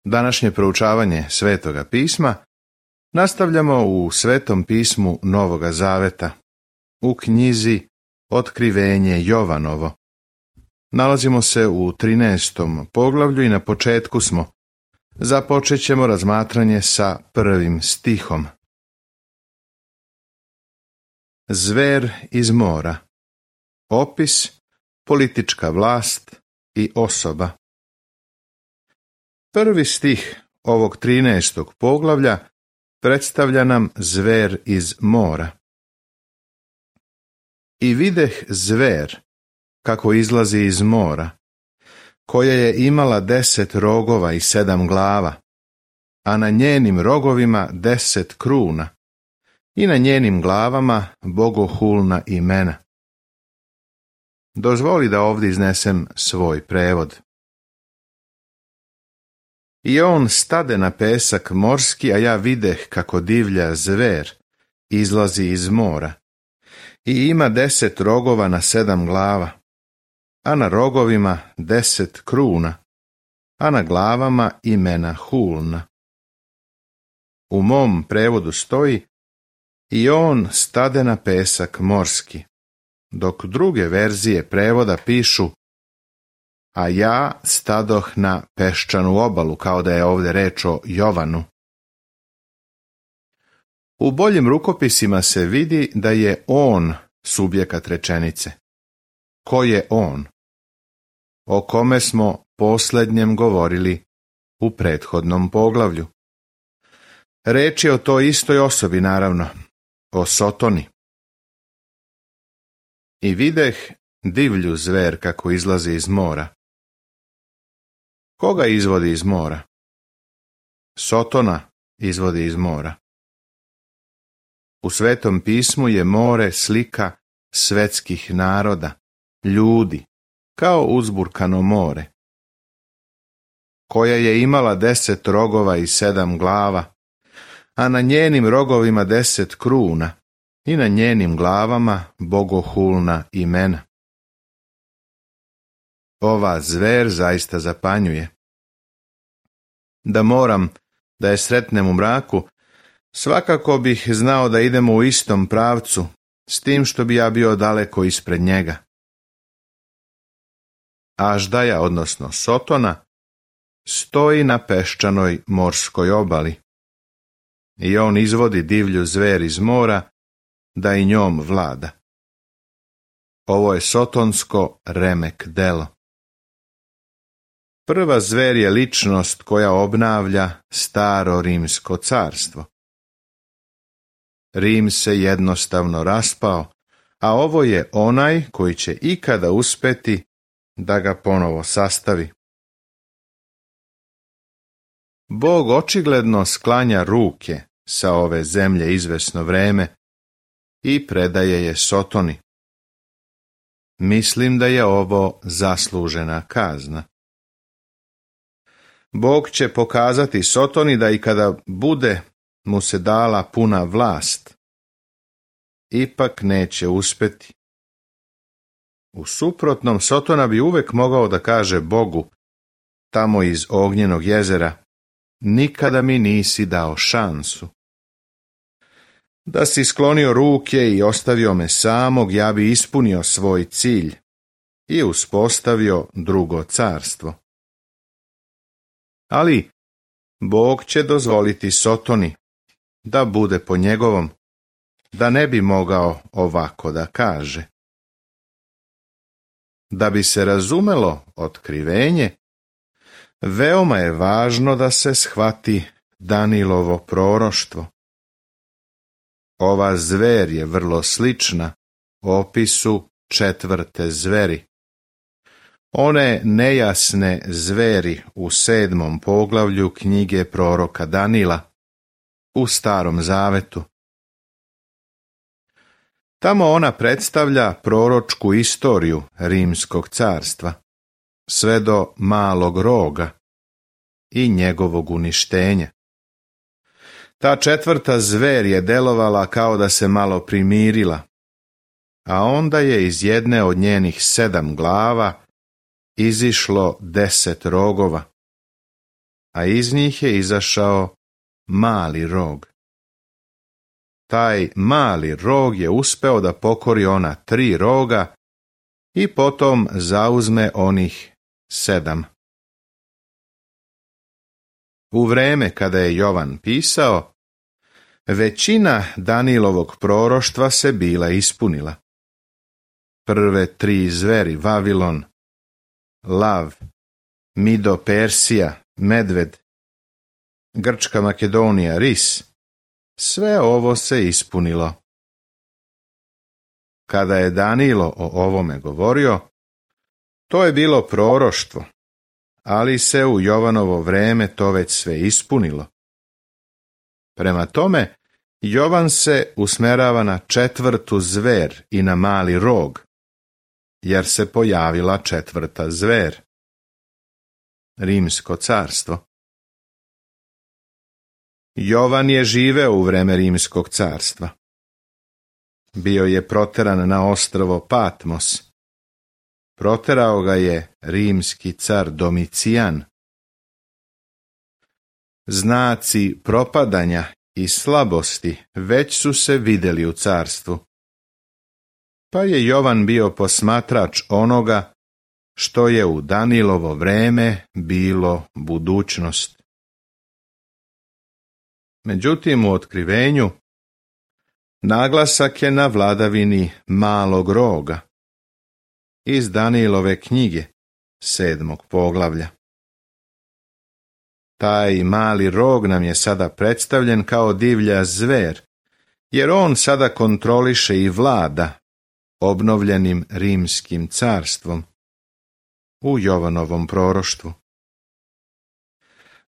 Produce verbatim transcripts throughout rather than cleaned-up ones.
Današnje proučavanje Svetoga pisma nastavljamo u Svetom pismu Novoga Zaveta, u knjizi Otkrivenje Jovanovo. Nalazimo se u trinaestom poglavlju i na početku smo. Započet ćemo razmatranje sa prvim stihom. Zver iz mora. Opis, politička vlast i osoba. Prvi stih ovog trinaestog poglavlja predstavlja nam zver iz mora. I videh zver, kako izlazi iz mora, koja je imala deset rogova i sedam glava, a na njenim rogovima deset kruna, i na njenim glavama bogohulna imena. Dozvoli da ovdje iznesem svoj prevod. I on stade na pesak morski, a ja videh kako divlja zver izlazi iz mora. I ima deset rogova na sedam glava, a na rogovima deset kruna, a na glavama imena hulna. U mom prevodu stoji i on stade na pesak morski, dok druge verzije prevoda pišu a ja stadoh na peščanu obalu, kao da je ovdje reč o Jovanu. U boljim rukopisima se vidi da je on subjekat rečenice. Ko je on? O kome smo posljednjem govorili u prethodnom poglavlju. Reč je o toj istoj osobi, naravno, o Sotoni. I videh divlju zver kako izlazi iz mora. Koga izvodi iz mora? Sotona izvodi iz mora. U Svetom pismu je more slika svetskih naroda, ljudi, kao uzburkano more, koja je imala deset rogova i sedam glava, a na njenim rogovima deset kruna i na njenim glavama bogohulna imena. Ova zver zaista zapanjuje. Da moram da je sretnem u mraku, svakako bih znao da idemo u istom pravcu, s tim što bi ja bio daleko ispred njega. Aždaja, odnosno Sotona, stoji na peščanoj morskoj obali. I on izvodi divlju zver iz mora da i njom vlada. Ovo je sotonsko remek delo. Prva zver je ličnost koja obnavlja staro rimsko carstvo. Rim se jednostavno raspao, a ovo je onaj koji će ikada uspeti da ga ponovo sastavi. Bog očigledno sklanja ruke sa ove zemlje izvesno vreme i predaje je Sotoni. Mislim da je ovo zaslužena kazna. Bog će pokazati Sotoni da i kada bude mu se dala puna vlast, ipak neće uspeti. U suprotnom, Sotona bi uvek mogao da kaže Bogu, tamo iz ognjenog jezera, nikada mi nisi dao šansu. Da si sklonio ruke i ostavio me samog, ja bi ispunio svoj cilj i uspostavio drugo carstvo. Ali Bog će dozvoliti Sotoni da bude po njegovom, da ne bi mogao ovako da kaže. Da bi se razumelo otkrivenje, veoma je važno da se shvati Danilovo proroštvo. Ova zver je vrlo slična opisu četvrte zveri. One nejasne zveri u sedmom poglavlju knjige proroka Danila u Starom Zavetu. Tamo ona predstavlja proročku istoriju Rimskog carstva, sve do malog roga i njegovog uništenja. Ta četvrta zver je delovala kao da se malo primirila, a onda je iz jedne od njenih sedam glava izišlo deset rogova. a iz njih je izašao mali rog. Taj mali rog je uspeo da pokori ona tri roga i potom zauzme onih sedam. U vreme kada je Jovan pisao, većina Danilovog proroštva se bila ispunila. Prve tri zveri, Vavilon, lav, Mido Persija, medved, Grčka Makedonija, ris, sve ovo se ispunilo. Kada je Danilo o ovome govorio, to je bilo proroštvo, ali se u Jovanovo vreme to već sve ispunilo. Prema tome, Jovan se usmerava na četvrtu zver i na mali rog, jer se pojavila četvrta zver. Rimsko carstvo. Jovan je živeo u vreme Rimskog carstva. Bio je proteran na ostrvo Patmos. Proterao ga je rimski car Domicijan. Znaci propadanja i slabosti već su se vidjeli u carstvu. Pa je Jovan bio posmatrač onoga što je u Danilovo vreme bilo budućnost. Međutim, u otkrivenju naglasak je na vladavini malog roga iz Danilove knjige, sedmog poglavlja. Taj mali rog nam je sada predstavljen kao divlja zver, jer on sada kontroliše i vlada obnovljenim rimskim carstvom u Jovanovom proroštvu.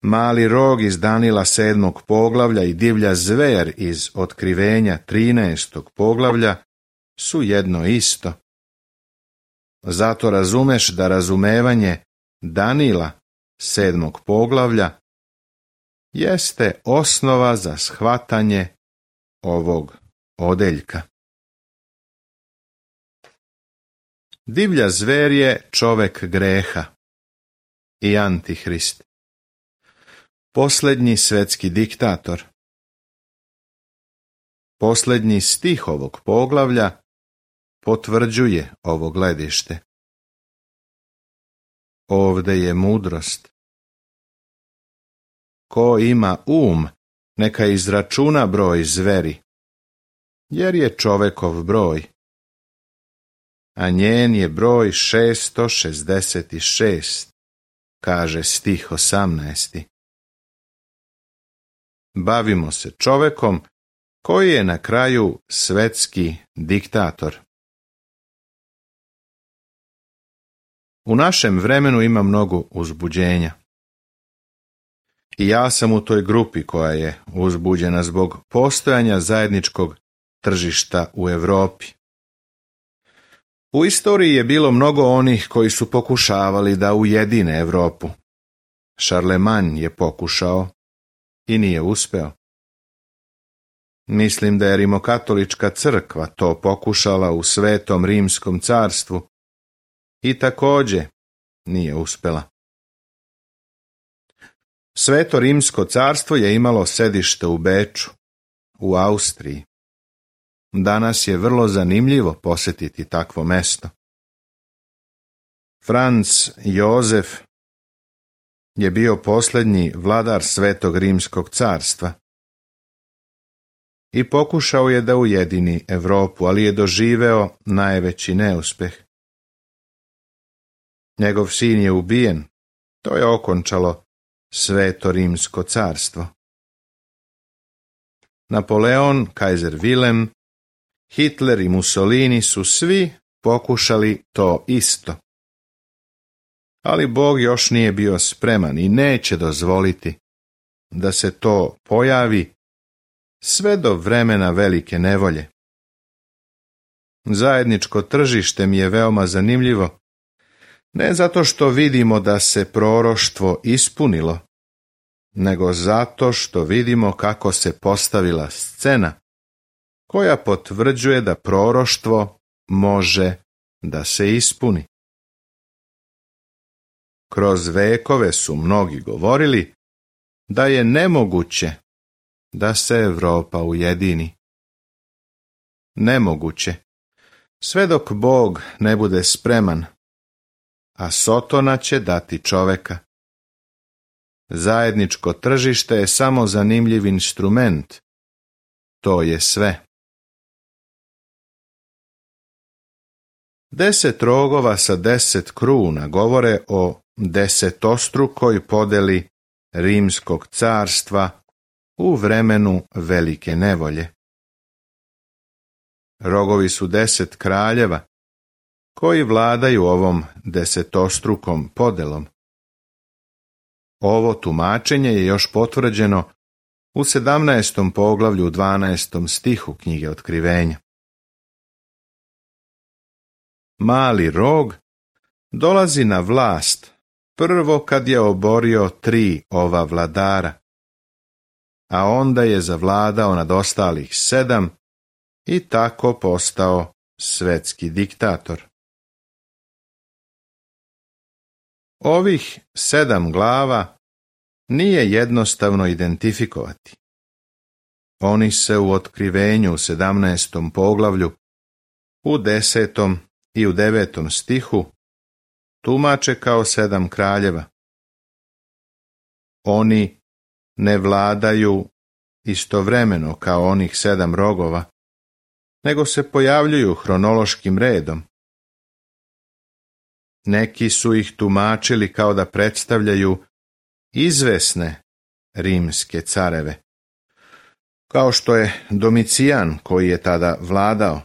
Mali rog iz Danila sedmog poglavlja i divlja zver iz otkrivenja trinaestog poglavlja su jedno isto. Zato razumeš da razumevanje Danila sedmog poglavlja jeste osnova za shvatanje ovog odeljka. Divlja zver je čovek greha i antihrist, posljednji svetski diktator. Posljednji stih ovog poglavlja potvrđuje ovo gledište. Ovde je mudrost. Ko ima um, neka izračuna broj zveri, jer je čovekov broj, a njen je broj šesto šezdeset šest, kaže stih osamnaesti. Bavimo se čovekom koji je na kraju svetski diktator. U našem vremenu ima mnogo uzbuđenja. I ja sam u toj grupi koja je uzbuđena zbog postojanja zajedničkog tržišta u Europi. U istoriji je bilo mnogo onih koji su pokušavali da ujedine Europu. Šarlemanj je pokušao i nije uspeo. Mislim da je rimokatolička crkva to pokušala u Svetom Rimskom carstvu i također nije uspela. Sveto Rimsko carstvo je imalo sedište u Beču, u Austriji. Danas je vrlo zanimljivo posjetiti takvo mesto. Franc Jozef je bio posljednji vladar Svetog Rimskog carstva i pokušao je da ujedini Europu, ali je doživeo najveći neuspeh. Njegov sin je ubijen, to je okončalo Sveto Rimsko carstvo. Napoleon, kajzer Vilem, Hitler i Mussolini su svi pokušali to isto. Ali Bog još nije bio spreman i neće dozvoliti da se to pojavi sve do vremena velike nevolje. Zajedničko tržište mi je veoma zanimljivo, ne zato što vidimo da se proroštvo ispunilo, nego zato što vidimo kako se postavila scena koja potvrđuje da proroštvo može da se ispuni. Kroz vekove su mnogi govorili da je nemoguće da se Europa ujedini. Nemoguće, sve dok Bog ne bude spreman, a Sotona će dati čoveka. Zajedničko tržište je samo zanimljiv instrument. To je sve. Deset rogova sa deset kruna govore o desetostrukoj podeli Rimskog carstva u vremenu velike nevolje. Rogovi su deset kraljeva koji vladaju ovom desetostrukom podelom. Ovo tumačenje je još potvrđeno u sedamnaestom poglavlju u dvanaestom stihu knjige Otkrivenja. Mali rog dolazi na vlast prvo kad je oborio tri ova vladara, a onda je zavladao nad ostalih sedam i tako postao svetski diktator. Ovih sedam glava nije jednostavno identifikovati. Oni se u Otkrivenju u sedamnaestom poglavlju, u desetom i u devetom stihu tumače kao sedam kraljeva. Oni ne vladaju istovremeno kao onih sedam rogova, nego se pojavljuju hronološkim redom. Neki su ih tumačili kao da predstavljaju izvesne rimske careve, kao što je Domicijan koji je tada vladao.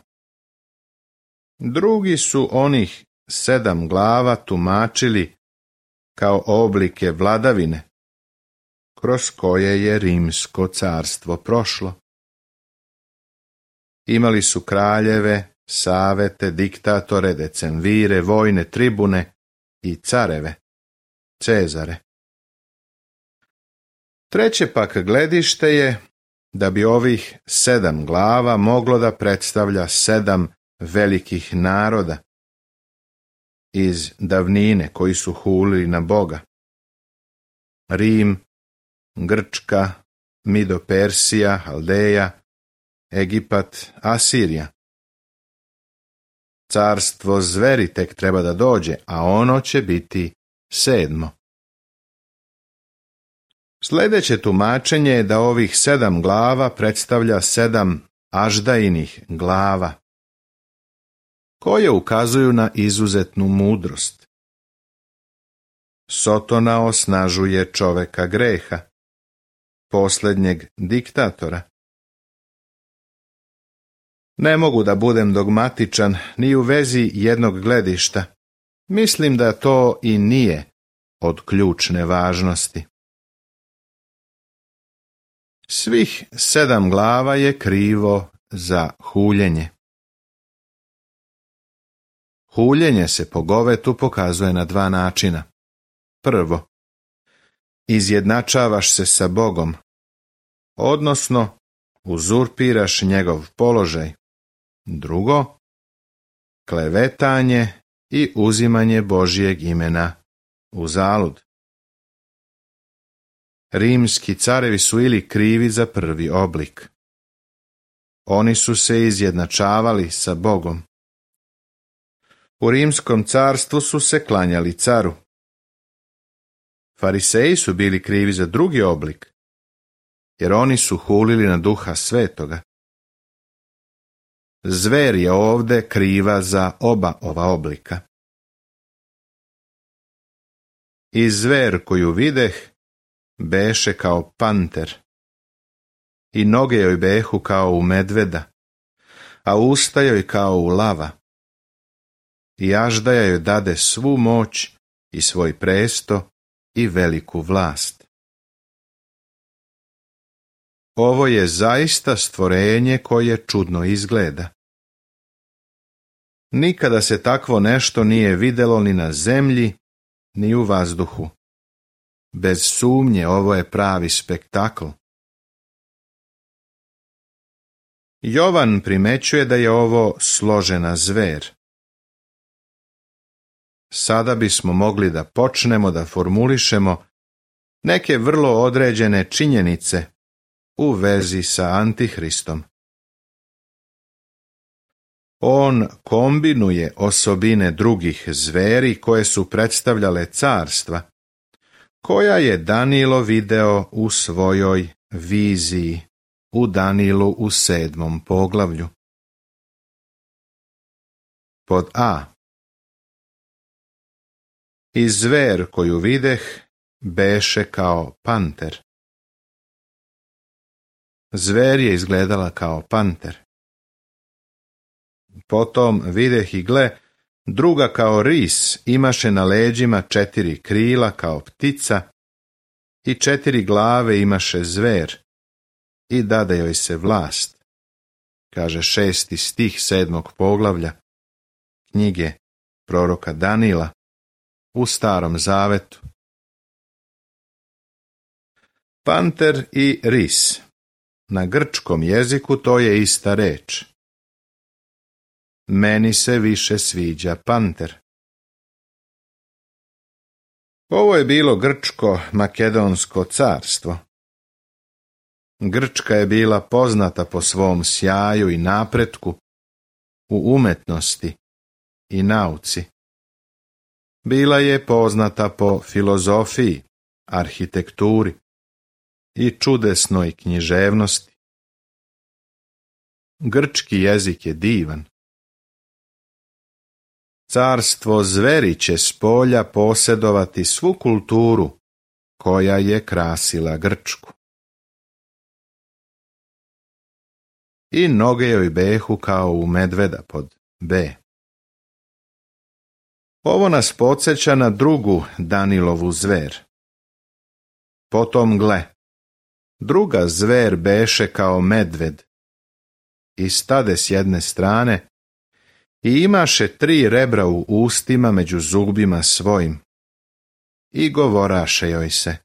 Drugi su onih sedam glava tumačili kao oblike vladavine, kroz koje je Rimsko carstvo prošlo. Imali su kraljeve, savete, diktatore, decemvire, vojne tribune i careve, Cezare. Treće pak gledište je da bi ovih sedam glava moglo da predstavlja sedam velikih naroda iz davnine koji su hulili na Boga. Rim, Grčka, Mido-Persija, Haldeja, Egipat, Asirija. Carstvo zveri tek treba da dođe, a ono će biti sedmo. Sljedeće tumačenje je da ovih sedam glava predstavlja sedam aždajinih glava, koje ukazuju na izuzetnu mudrost. Sotona osnažuje čoveka greha, posljednjeg diktatora. Ne mogu da budem dogmatičan ni u vezi jednog gledišta. Mislim da to i nije od ključne važnosti. Svih sedam glava je krivo za huljenje. Huljenje se po govetu pokazuje na dva načina. Prvo, izjednačavaš se sa Bogom, odnosno uzurpiraš njegov položaj. Drugo, klevetanje i uzimanje Božjeg imena u zalud. Rimski carevi su ili krivi za prvi oblik. Oni su se izjednačavali sa Bogom. U Rimskom carstvu su se klanjali caru. Fariseji su bili krivi za drugi oblik, jer oni su hulili na Duha Svetoga. Zver je ovde kriva za oba ova oblika. I zver koju videh beše kao panter, i noge joj behu kao u medveda, a usta joj kao u lava. I aždaja joj dade svu moć i svoj presto i veliku vlast. Ovo je zaista stvorenje koje čudno izgleda. Nikada se takvo nešto nije videlo ni na zemlji, ni u vazduhu. Bez sumnje ovo je pravi spektakl. Jovan primećuje da je ovo složena zver. Sada bismo mogli da počnemo da formulišemo neke vrlo određene činjenice u vezi sa Antihristom. On kombinuje osobine drugih zveri koje su predstavljale carstva, koja je Danilo video u svojoj viziji u Danilu u sedmom poglavlju. Pod A. I zver koju videh beše kao panter. Zver je izgledala kao panter. Potom videh i gle, druga kao ris imaše na leđima četiri krila kao ptica i četiri glave imaše zver i dade joj se vlast, kaže šesti stih sedmog poglavlja knjige proroka Danila u Starom zavetu. Panter i ris. Na grčkom jeziku to je ista reč. Meni se više sviđa panter. Ovo je bilo grčko-makedonsko carstvo. Grčka je bila poznata po svom sjaju i napretku u umetnosti i nauci. Bila je poznata po filozofiji, arhitekturi i čudesnoj književnosti. Grčki jezik je divan. Carstvo zveri će s polja posjedovati svu kulturu koja je krasila Grčku. I noge joj behu kao u medveda pod B. Ovo nas podsjeća na drugu Danilovu zver. Potom gle, druga zver beše kao medved i stade s jedne strane i imaše tri rebra u ustima među zubima svojim i govoraše joj se: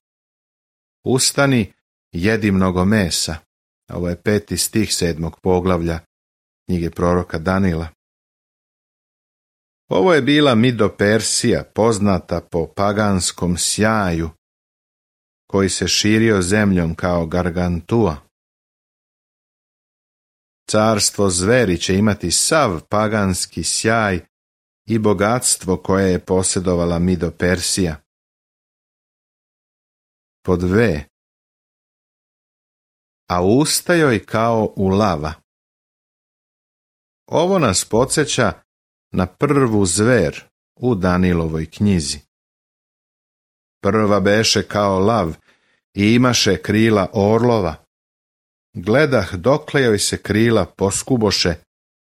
ustani, jedi mnogo mesa. Ovo je peti stih sedmog poglavlja knjige proroka Danila. Ovo je bila Mido-Persija, poznata po paganskom sjaju, koji se širio zemljom kao Gargantua. Carstvo zveri će imati sav paganski sjaj i bogatstvo koje je posjedovala Mido-Persija. Pod V. A usta joj kao u lava. Ovo nas podsjeća na prvu zver u Danilovoj knjizi. Prva beše kao lav i imaše krila orlova. Gledah dokle joj se krila poskuboše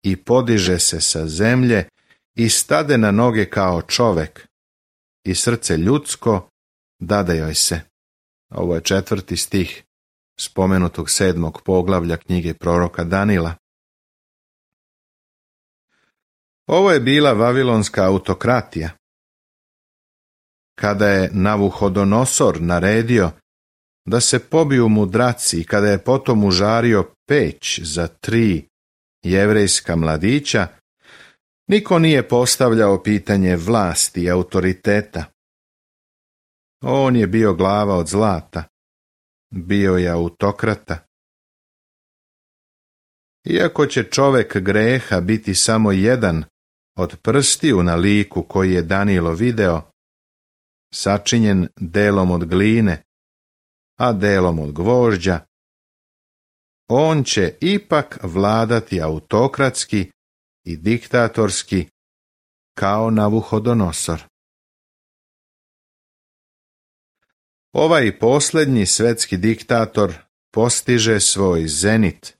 i podiže se sa zemlje i stade na noge kao čovek i srce ljudsko dade joj se. Ovo je četvrti stih spomenutog sedmog poglavlja knjige proroka Danila. Ovo je bila vavilonska autokratija. Kada je Navuhodonosor naredio da se pobiju mudraci i kada je potom užario peć za tri jevrejska mladića, niko nije postavljao pitanje vlasti i autoriteta. On je bio glava od zlata, bio je autokrata. Iako će čovek greha biti samo jedan od prstiju na liku koji je Danilo video, sačinjen delom od gline, a delom od gvožđa, on će ipak vladati autokratski i diktatorski kao Navuhodonosor. Ovaj posljednji svetski diktator postiže svoj zenit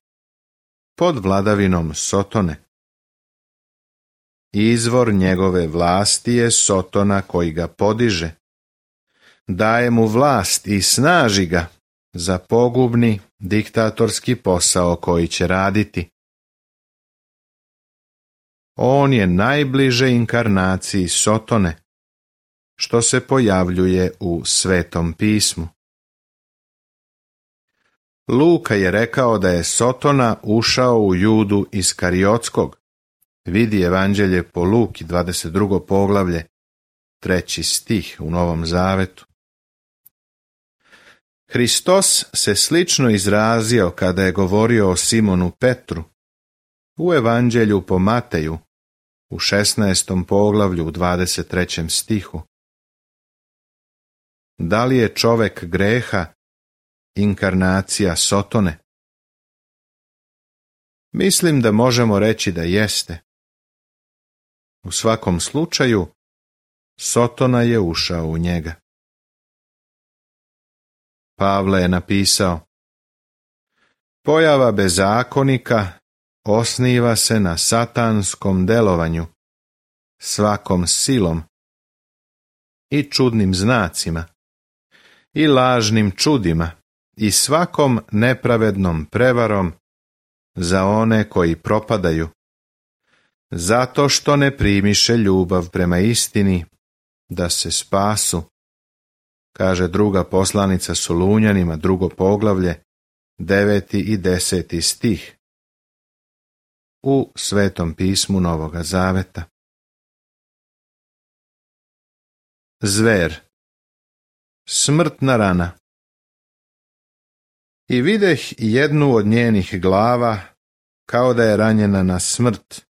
pod vladavinom Sotone. Izvor njegove vlasti je Sotona koji ga podiže. Daje mu vlast i snaži ga za pogubni diktatorski posao koji će raditi. On je najbliže inkarnaciji Sotone, što se pojavljuje u Svetom pismu. Luka je rekao da je Sotona ušao u Judu Iskariotskog. Vidi Evanđelje po Luki, dvadeset drugo poglavlje, treći stih u Novom Zavetu. Hristos se slično izrazio kada je govorio o Simonu Petru u Evanđelju po Mateju u šesnaestom poglavlju u dvadeset trećem stihu. Da li je čovek greha inkarnacija Sotone? Mislim da možemo reći da jeste. U svakom slučaju, Sotona je ušao u njega. Pavle je napisao: pojava bezakonika osniva se na satanskom delovanju, svakom silom i čudnim znacima i lažnim čudima i svakom nepravednom prevarom za one koji propadaju, zato što ne primiše ljubav prema istini da se spasu, kaže druga poslanica Solunjanima, drugo poglavlje, deveti i deseti stih u Svetom pismu Novoga Zaveta. Zver, smrtna rana. I videh jednu od njenih glava, kao da je ranjena na smrt,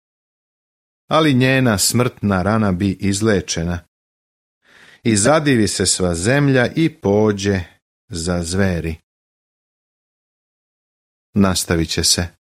ali njena smrtna rana bi izlečena. I zadivi se sva zemlja i pođe za zveri. Nastavit će se.